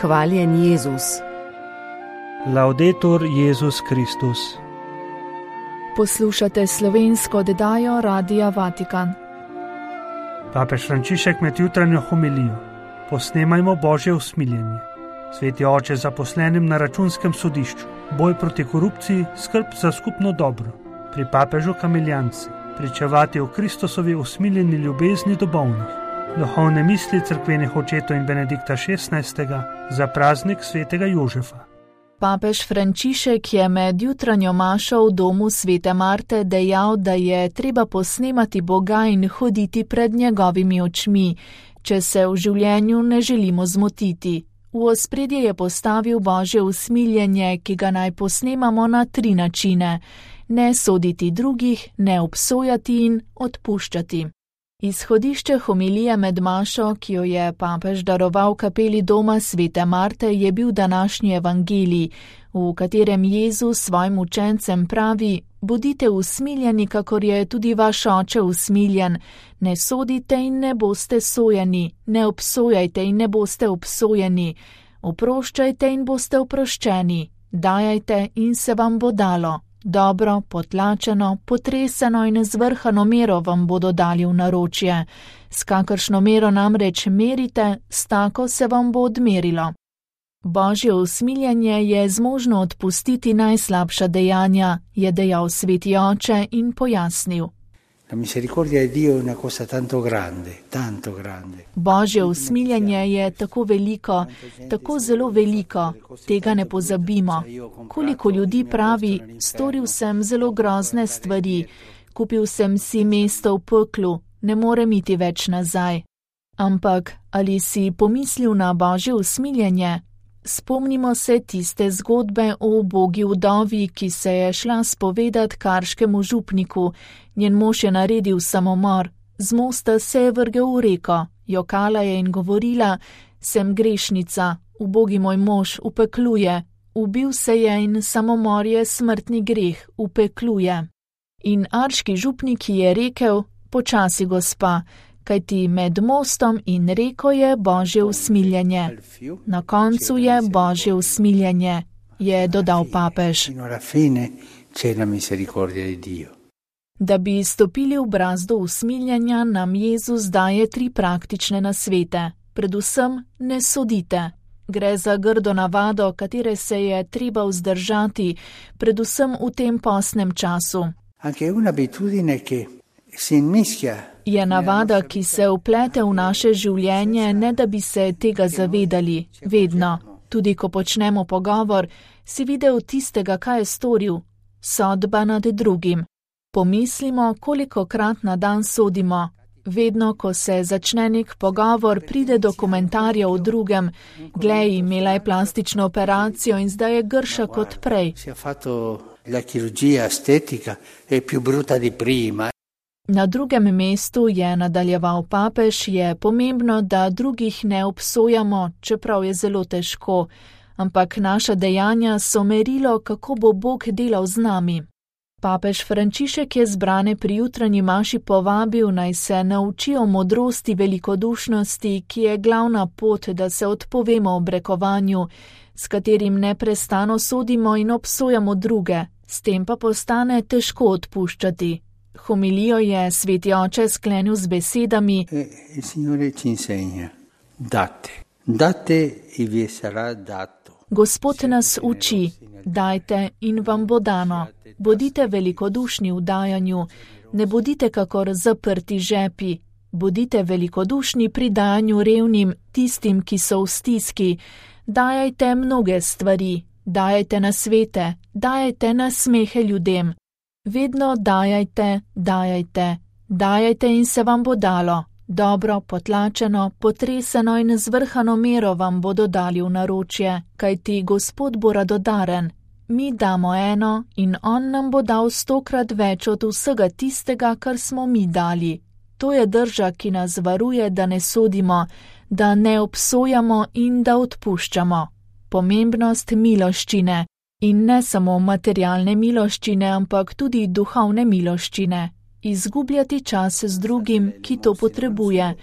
Hvaljen Jezus. Laudetur Jezus Kristus. Poslušate slovensko oddajo Radia Vatikan. Papež Frančišek med jutranjo homilijo. Posnemajmo Božje usmiljenje. Sveti oče zaposlenim na računskem sodišču. Boj proti korupciji, skrb za skupno dobro. Pri papežu kamiljanci. Pričevati o Kristusovi usmiljeni ljubezni do bolnih. Duhovne misli cerkvenih očetov in Benedikta XVI. Za praznik svetega Jožefa. Papež Frančišek je med jutranjo mašo v domu svete Marte dejal, da je treba posnemati Boga in hoditi pred njegovimi očmi, če se v življenju ne želimo zmotiti. V ospredje je postavil Božje usmiljenje, ki ga naj posnemamo na 3 načine: ne soditi drugih, ne obsojati in odpuščati. Izhodišče homilije med mašo, ki jo je papež daroval kapeli doma svete Marte, je bil današnji evangelij, v katerem Jezus svojim učencem pravi: bodite usmiljeni, kakor je tudi vaš oče usmiljen, ne sodite in ne boste sojeni, ne obsojajte in ne boste obsojeni, oproščajte in boste oproščeni, dajajte in se vam bo dalo. Dobro, potlačeno, potreseno in zvrhano mero vam bodo dali v naročje. S kakršno mero namreč merite, s tako se vam bo odmerilo. Božje usmiljenje je zmožno odpustiti najslabša dejanja, je dejal sveti oče in pojasnil. La misericordia di Dio è una cosa tanto grande, tanto grande. Božje usmiljenje je tako veliko, tako zelo veliko, tega ne pozabimo. Koliko ljudi pravi: storil sem zelo grozne stvari, kupil sem si mesto v peklu, ne morem iti več nazaj. Ampak ali si pomislil na Božje usmiljenje? Spomnimo se tiste zgodbe o ubogi vdovi, ki se je šla spovedat karškemu župniku. Njen mož je naredil samomor, z mosta se je vrgel v reko, jokala je in govorila: sem grešnica, ubogi moj mož, v peklu je, ubil se je in samomor je smrtni greh, v peklu je. In arški župnik je rekel: počasi, gospa, kajti med mostom in reko je Božje usmiljenje. Na koncu je Božje usmiljenje, je dodal papež. Da bi stopili v brazdo usmiljenja, nam Jezus daje 3 praktične nasvete. Predvsem ne sodite. Gre za grdo navado, katere se je treba vzdržati, predvsem v tem postnem času. Je navada, ki se vplete v naše življenje, ne da bi se tega zavedali. Vedno, tudi ko počnemo pogovor, si videl tistega, kaj je storil. Sodba nad drugim. Pomislimo, kolikokrat na dan sodimo. Vedno, ko se začne nek pogovor, pride do komentarja o drugem. Glej, imela je plastično operacijo in zdaj je grša kot prej. Na drugem mestu, je nadaljeval papež, je pomembno, da drugih ne obsojamo, čeprav je zelo težko, ampak naša dejanja so merilo, kako bo Bog delal z nami. Papež Frančišek je zbrane pri jutranji maši povabil, naj se naučijo modrosti velikodušnosti, ki je glavna pot, da se odpovemo obrekovanju, s katerim neprestano sodimo in obsojamo druge, s tem pa postane težko odpuščati. Homilijo je sveti oče sklenil z besedami: Gospod nas uči, dajte in vam bo dano. Bodite velikodušni v dajanju, ne bodite kakor zaprti žepi. Bodite velikodušni pri dajanju revnim, tistim, ki so v stiski. Dajajte mnoge stvari, dajajte nasvete, dajajte nasmehe ljudem. Vedno dajajte, dajajte, dajajte in se vam bo dalo. Dobro, potlačeno, potreseno in zvrhano mero vam bodo dali v naročje, kajti Gospod bo radodaren. Mi damo eno in on nam bo dal 100-krat več od vsega tistega, kar smo mi dali. To je drža, ki nas varuje, da ne sodimo, da ne obsojamo in da odpuščamo. Pomembnost miloščine. In ne samo materialne miloščine, ampak tudi duhovne miloščine. Izgubljati čas z drugim, ki to potrebuje.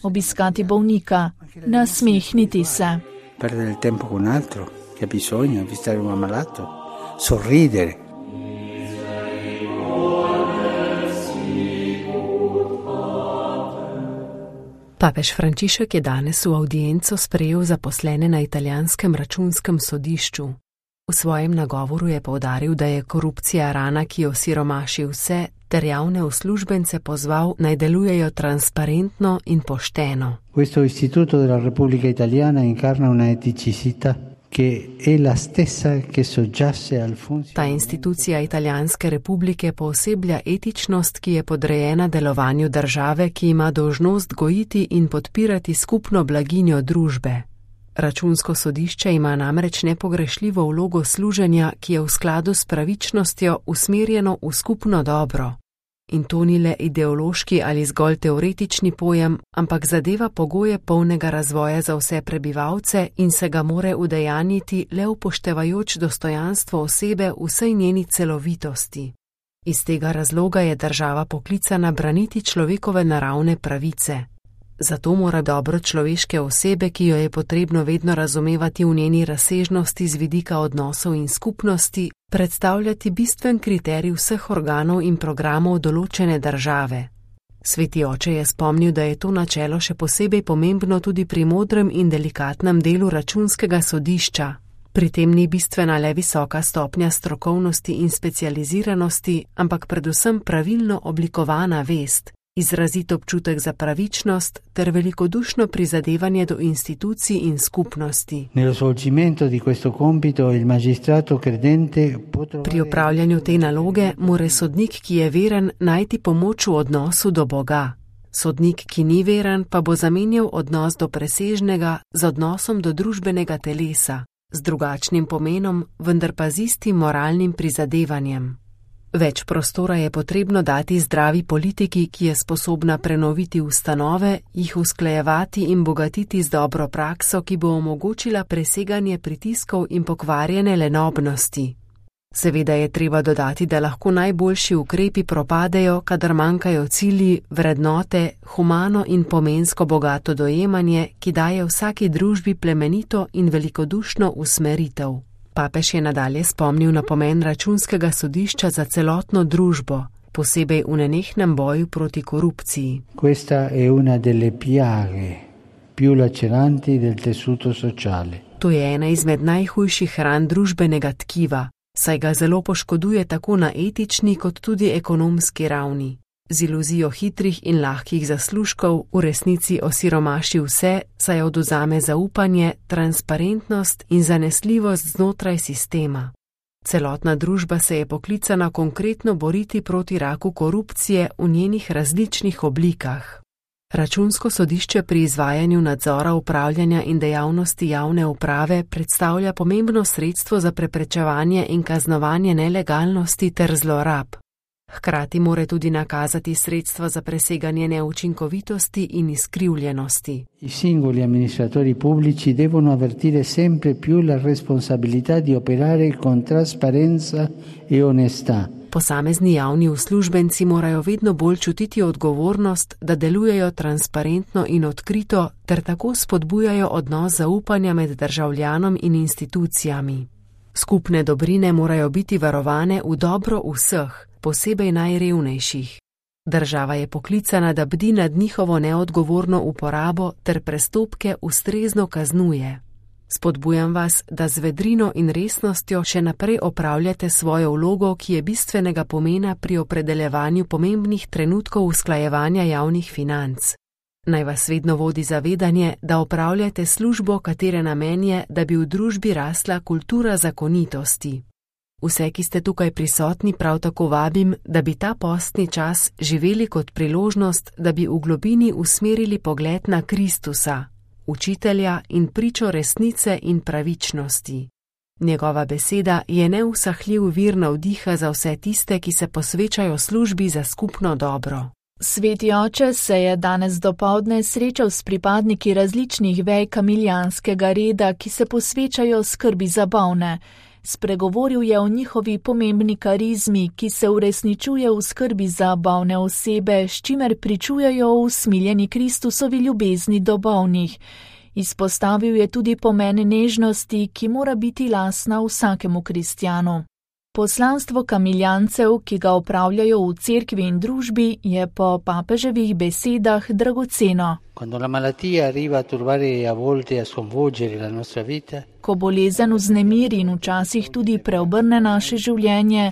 Obiskati bolnika. Nasmehniti se. perdere il tempo con altro che ha bisogno, visitare un ammalato, sorridere. Papež Frančišek je danes v audienco sprejel zaposlene na italijanskem računskem sodišču. V svojem nagovoru je poudaril, da je korupcija rana, ki osiromaši vse, ter javne uslužbence pozval, naj delujejo transparentno in pošteno. Questo istituto della Repubblica Italiana incarna una eticità che è la stessa che soggiace al funzionamento. Ta institucija Italijanske republike pooseblja etičnost, ki je podrejena delovanju države, ki ima dolžnost gojiti in podpirati skupno blaginjo družbe. Računsko sodišče ima namreč nepogrešljivo vlogo služenja, ki je v skladu s pravičnostjo usmerjeno v skupno dobro. In to ni le ideološki ali zgolj teoretični pojem, ampak zadeva pogoje polnega razvoja za vse prebivalce in se ga more udejanjiti le upoštevajoč dostojanstvo osebe v vsej njeni celovitosti. Iz tega razloga je država poklicana braniti človekove naravne pravice. Zato mora dobro človeške osebe, ki jo je potrebno vedno razumevati v njeni razsežnosti z vidika odnosov in skupnosti, predstavljati bistven kriterij vseh organov in programov določene države. Sveti oče je spomnil, da je to načelo še posebej pomembno tudi pri modrem in delikatnem delu računskega sodišča. Pri tem ni bistvena le visoka stopnja strokovnosti in specializiranosti, ampak predvsem pravilno oblikovana vest, izrazit občutek za pravičnost ter velikodušno prizadevanje do institucij in skupnosti. Pri opravljanju te naloge mora sodnik, ki je veren, najti pomoč v odnosu do Boga. Sodnik, ki ni veren, pa bo zamenjal odnos do presežnega z odnosom do družbenega telesa, z drugačnim pomenom, vendar pa z istim moralnim prizadevanjem. Več prostora je potrebno dati zdravi politiki, ki je sposobna prenoviti ustanove, jih usklajevati in bogatiti z dobro prakso, ki bo omogočila preseganje pritiskov in pokvarjene lenobnosti. Seveda je treba dodati, da lahko najboljši ukrepi propadejo, kadar manjkajo cilji, vrednote, humano in pomensko bogato dojemanje, ki daje vsaki družbi plemenito in velikodušno usmeritev. Papež je nadalje spomnil na pomen računskega sodišča za celotno družbo, posebej v nenehnem boju proti korupciji. Questa è una delle piaghe più laceranti del tessuto sociale. To je ena izmed najhujših ran družbenega tkiva, saj ga zelo poškoduje tako na etični kot tudi ekonomski ravni. Z iluzijo hitrih in lahkih zaslužkov v resnici osiromaši vse, saj odvzame zaupanje, transparentnost in zanesljivost znotraj sistema. Celotna družba se je poklicana konkretno boriti proti raku korupcije v njenih različnih oblikah. Računsko sodišče pri izvajanju nadzora upravljanja in dejavnosti javne uprave predstavlja pomembno sredstvo za preprečevanje in kaznovanje nelegalnosti ter zlorab. Hkrati mora tudi nakazati sredstva za preseganje neučinkovitosti in izkrivljenosti. I singoli amministratori pubblici devono avvertire sempre più la responsabilità di operare con trasparenza e onestà. Posamezni javni uslužbenci morajo vedno bolj čutiti odgovornost, da delujejo transparentno in odkrito ter tako spodbujajo odnos zaupanja med državljanom in institucijami. Skupne dobrine morajo biti varovane v dobro vseh, posebej najrevnejših. Država je poklicana, da bdi nad njihovo neodgovorno uporabo ter prestopke ustrezno kaznuje. Spodbujam vas, da z vedrino in resnostjo še naprej opravljate svojo vlogo, ki je bistvenega pomena pri opredeljevanju pomembnih trenutkov usklajevanja javnih financ. Naj vas vedno vodi zavedanje, da opravljate službo, katere namen je, da bi v družbi rasla kultura zakonitosti. Vse, ki ste tukaj prisotni, prav tako vabim, da bi ta postni čas živeli kot priložnost, da bi v globini usmerili pogled na Kristusa, učitelja in pričo resnice in pravičnosti. Njegova beseda je neusahljiv vir navdiha za vse tiste, ki se posvečajo službi za skupno dobro. Sveti oče se je danes dopoldne srečal s pripadniki različnih vej kamilijanskega reda, ki se posvečajo skrbi za bolne. Spregovoril je o njihovi pomembni karizmi, ki se uresničuje v skrbi za bolne osebe, s čimer pričujejo o usmiljeni Kristusovi ljubezni do bolnih. Izpostavil je tudi pomen nežnosti, ki mora biti lastna vsakemu kristjanu. Poslanstvo kamiljancev, ki ga opravljajo v cerkvi in družbi, je po papeževih besedah dragoceno. Ko bolezen vznemiri in včasih tudi preobrne naše življenje,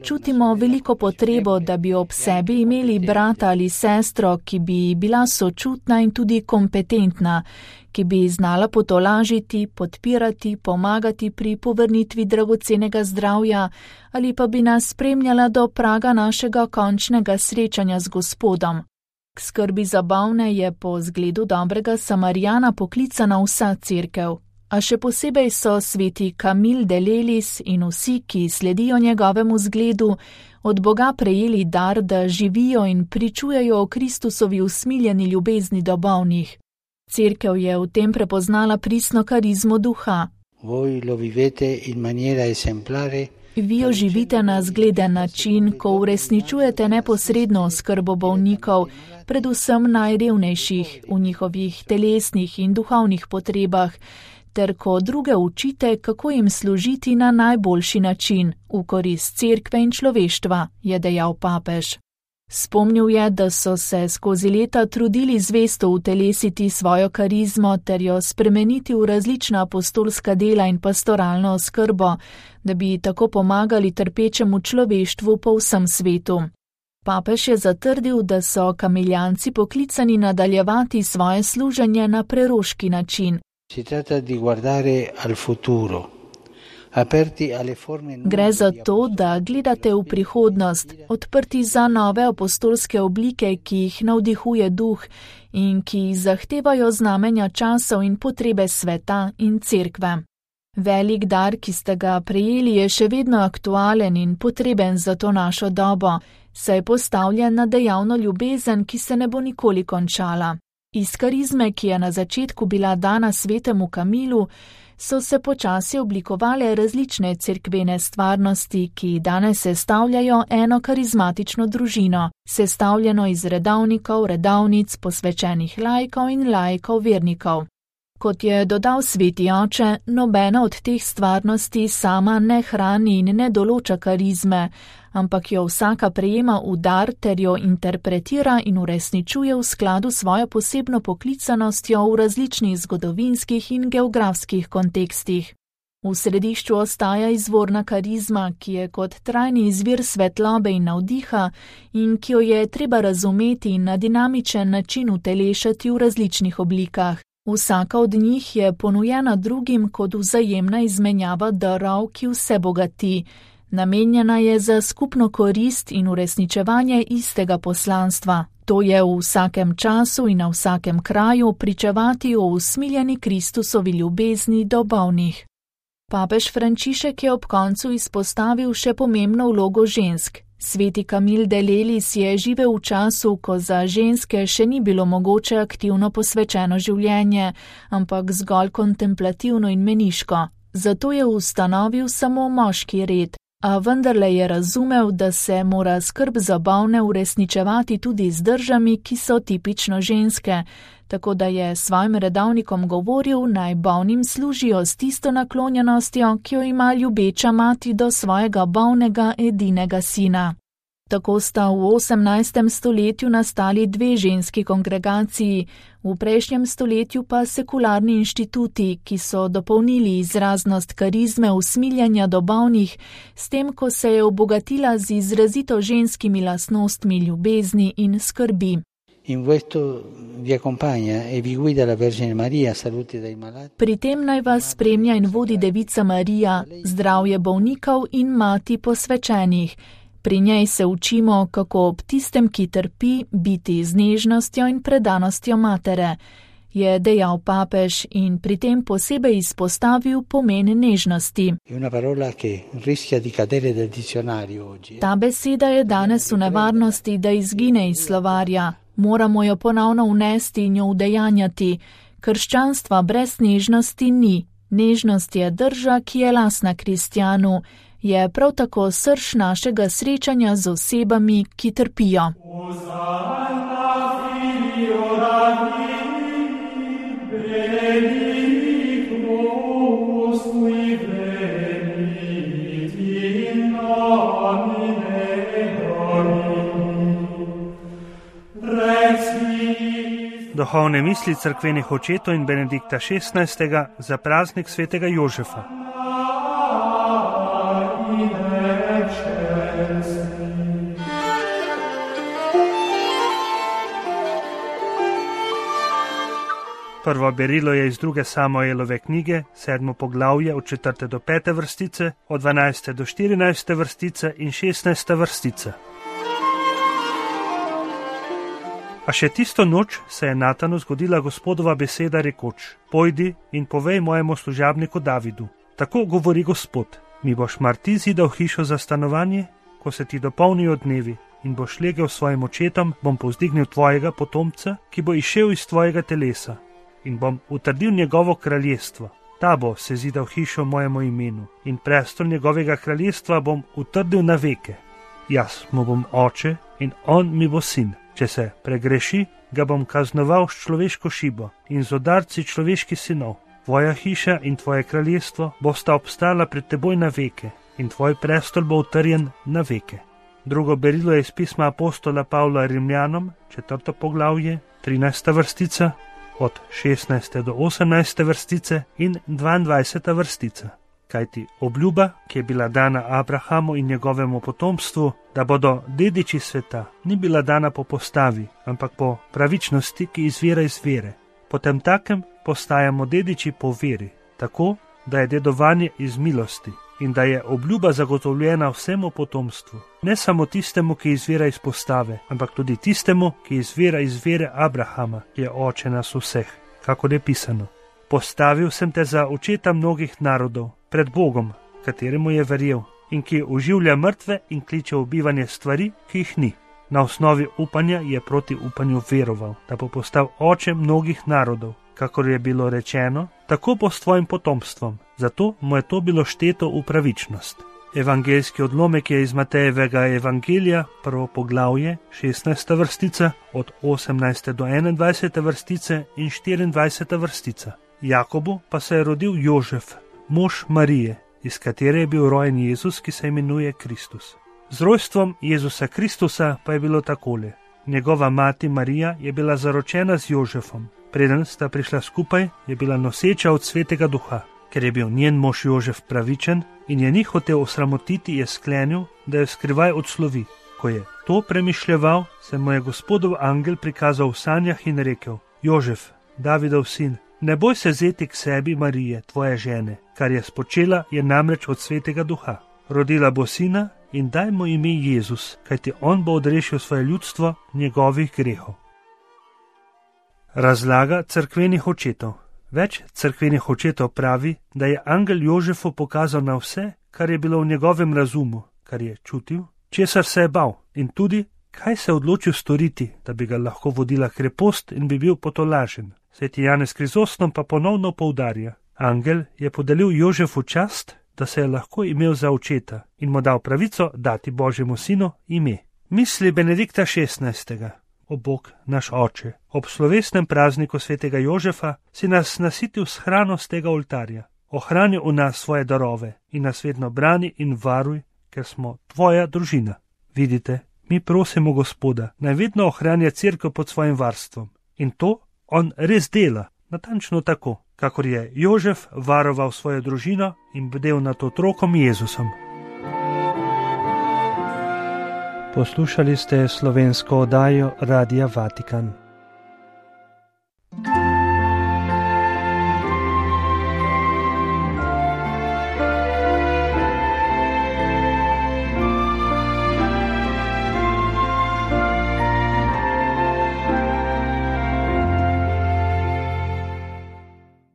čutimo veliko potrebo, da bi ob sebi imeli brata ali sestro, ki bi bila sočutna in tudi kompetentna, ki bi znala potolažiti, podpirati, pomagati pri povrnitvi dragocenega zdravja ali pa bi nas spremljala do praga našega končnega srečanja z Gospodom. K skrbi za bolne je po zgledu dobrega Samarijana poklicana vsa cerkev, a še posebej so sveti Camille de Lelis in vsi, ki sledijo njegovemu zgledu, od Boga prejeli dar, da živijo in pričujejo o Kristusovi usmiljeni ljubezni do bolnih. Cerkev je v tem prepoznala pristno karizmo duha. Vi jo živite na zgleden način, ko uresničujete neposredno oskrbo bolnikov, predvsem najrevnejših v njihovih telesnih in duhovnih potrebah, ter ko druge učite, kako jim služiti na najboljši način, v korist cerkve in človeštva, je dejal papež. Spomnil je, da so se skozi leta trudili zvesto utelesiti svojo karizmo ter jo spremeniti v različna apostolska dela in pastoralno oskrbo, da bi tako pomagali trpečemu človeštvu po vsem svetu. Papež je zatrdil, da so kamiljanci poklicani nadaljevati svoje služenje na preroški način. Gre za to, da gledate v prihodnost, odprti za nove apostolske oblike, ki jih navdihuje duh in ki zahtevajo znamenja časov in potrebe sveta in cerkve. Velik dar, ki ste ga prejeli, je še vedno aktualen in potreben za to našo dobo, saj je postavljen na dejavno ljubezen, ki se ne bo nikoli končala. Iz karizme, ki je na začetku bila dana svetemu Kamilu, so se počasi oblikovale različne cerkvene stvarnosti, ki danes sestavljajo eno karizmatično družino, sestavljeno iz redovnikov, redovnic, posvečenih laikov in laikov vernikov. Kot je dodal sveti oče, nobena od teh stvarnosti sama ne hrani in ne določa karizme, ampak jo vsaka prejema v dar ter jo interpretira in uresničuje v skladu s svojo posebno poklicanostjo v različnih zgodovinskih in geografskih kontekstih. V središču ostaja izvorna karizma, ki je kot trajni izvir svetlobe in navdiha in ki jo je treba razumeti in na dinamičen način utelešati v različnih oblikah. Vsaka od njih je ponujena drugim kot vzajemna izmenjava darov, ki vse bogati. Namenjena je za skupno korist in uresničevanje istega poslanstva. To je v vsakem času in na vsakem kraju pričevati o usmiljeni Kristusovi ljubezni do bolnih. Papež Frančišek je ob koncu izpostavil še pomembno vlogo žensk. Sveti Camille de Lelis je živel v času, ko za ženske še ni bilo mogoče aktivno posvečeno življenje, ampak zgolj kontemplativno in meniško. Zato je ustanovil samo moški red. A vendarle je razumel, da se mora skrb za bolne uresničevati tudi z držami, ki so tipično ženske, tako da je svojim redovnikom govoril, naj bolnim služijo s tisto naklonjenostjo, ki jo ima ljubeča mati do svojega bolnega edinega sina. Tako sta v 18. stoletju nastali dve ženski kongregaciji, v prejšnjem stoletju pa sekularni inštituti, ki so dopolnili izraznost karizme usmiljanja do bolnih, s tem, ko se je obogatila z izrazito ženskimi lastnostmi ljubezni in skrbi. Pri tem naj vas spremlja in vodi Devica Marija, zdravje bolnikov in mati posvečenih. Pri njej se učimo, kako ob tistem, ki trpi, biti z nežnostjo in predanostjo matere, je dejal papež in pri tem posebej izpostavil pomen nežnosti. Ta beseda je danes v nevarnosti, da izgine iz slovarja. Moramo jo ponovno vnesti in jo udejanjati. Krščanstva brez nežnosti ni. Nežnost je drža, ki je lastna kristjanu. Je prav tako srž našega srečanja z osebami, ki trpijo. Duhovne misli cerkvenih očetov in Benedikta XVI. Za praznik svetega Jožefa. Prvo berilo je iz 2. Samuelove knjige, 7. poglavje od 4. do 5. vrstice, od 12. do 14. vrstice in 16. vrstice. A še tisto noč se je Natanu zgodila Gospodova beseda rekoč: Pojdi in povej mojemu služabniku Davidu. Tako govori Gospod: mi boš mar ti zidal hišo za stanovanje, ko se ti dopolnijo dnevi in boš legel svojim očetom, bom povzdignil tvojega potomca, ki bo izšel iz tvojega telesa in bom utrdil njegovo kraljestvo. Ta bo se zidal hišo mojemu imenu in prestol njegovega kraljestva bom utrdil na veke. Jaz mu bom oče in on mi bo sin. Če se pregreši, ga bom kaznoval s človeško šibo in z udarci človeških sinov. Tvoja hiša in tvoje kraljestvo bosta obstala pred teboj na veke in tvoj prestol bo utrjen na veke. Drugo berilo je iz pisma apostola Pavla Rimljanom, 4. poglavje, 13. vrstica, od 16. do 18. vrstice in 22. vrstica. Kajti obljuba, ki je bila dana Abrahamu in njegovemu potomstvu, da bodo dediči sveta, ni bila dana po postavi, ampak po pravičnosti, ki izvira iz vere. Potem takem postajamo dediči po veri, tako, da je dedovanje iz milosti in da je obljuba zagotovljena vsemu potomstvu. Ne samo tistemu, ki izvira iz postave, ampak tudi tistemu, ki izvira iz vere Abrahama, ki je oče nas vseh, kakor je pisano. Postavil sem te za očeta mnogih narodov, pred Bogom, kateremu je verjel in ki oživlja mrtve in kliče v bivanje stvari, ki jih ni. Na osnovi upanja je proti upanju veroval, da bo postal oče mnogih narodov, kakor je bilo rečeno, tako bo s tvojim potomstvom. Zato mu je to bilo šteto v pravičnost. Evangeljski odlomek je iz Matejevega evangelija, 1. poglavje, 16. vrstica, od 18. do 21. vrstice in 24. vrstica. Jakobu pa se je rodil Jožef, mož Marije, iz katere je bil rojen Jezus, ki se imenuje Kristus. Z rojstvom Jezusa Kristusa pa je bilo takole. Njegova mati Marija je bila zaročena z Jožefom. Preden sta prišla skupaj, je bila noseča od Svetega Duha. Ker je bil njen mož Jožef pravičen in je ni hotel osramotiti, je sklenil, da jo skrivaj odslovi. Ko je to premišljeval, se mu je Gospodov angel prikazal v sanjah in rekel: Jožef, Davidov sin, ne boj se vzeti k sebi Marije, tvoje žene, kar je spočela, je namreč od Svetega Duha. Rodila bo sina in daj mu ime Jezus, kajti on bo odrešil svoje ljudstvo njegovih grehov. Razlaga cerkvenih očetov. Več cerkvenih očetov pravi, da je angel Jožefu pokazal na vse, kar je bilo v njegovem razumu, kar je čutil, česar se je bal in tudi, kaj se je odločil storiti, da bi ga lahko vodila krepost in bi bil potolažen. Sveti Janez Krizostom pa ponovno poudarja: angel je podelil Jožefu čast, da se je lahko imel za očeta in mu dal pravico dati Božjemu sinu ime. Misli Benedikta XVI. O Bog, naš oče, ob slovesnem prazniku svetega Jožefa si nas nasitil s hrano z tega oltarja. Ohrani v nas svoje darove in nas vedno brani in varuj, ker smo tvoja družina. Vidite, mi prosimo Gospoda, naj vedno ohranja cerkev pod svojim varstvom. In to on res dela, natančno tako, kakor je Jožef varoval svojo družino in bdel nad otrokom Jezusom. Poslušali ste slovensko oddajo Radia Vatikan.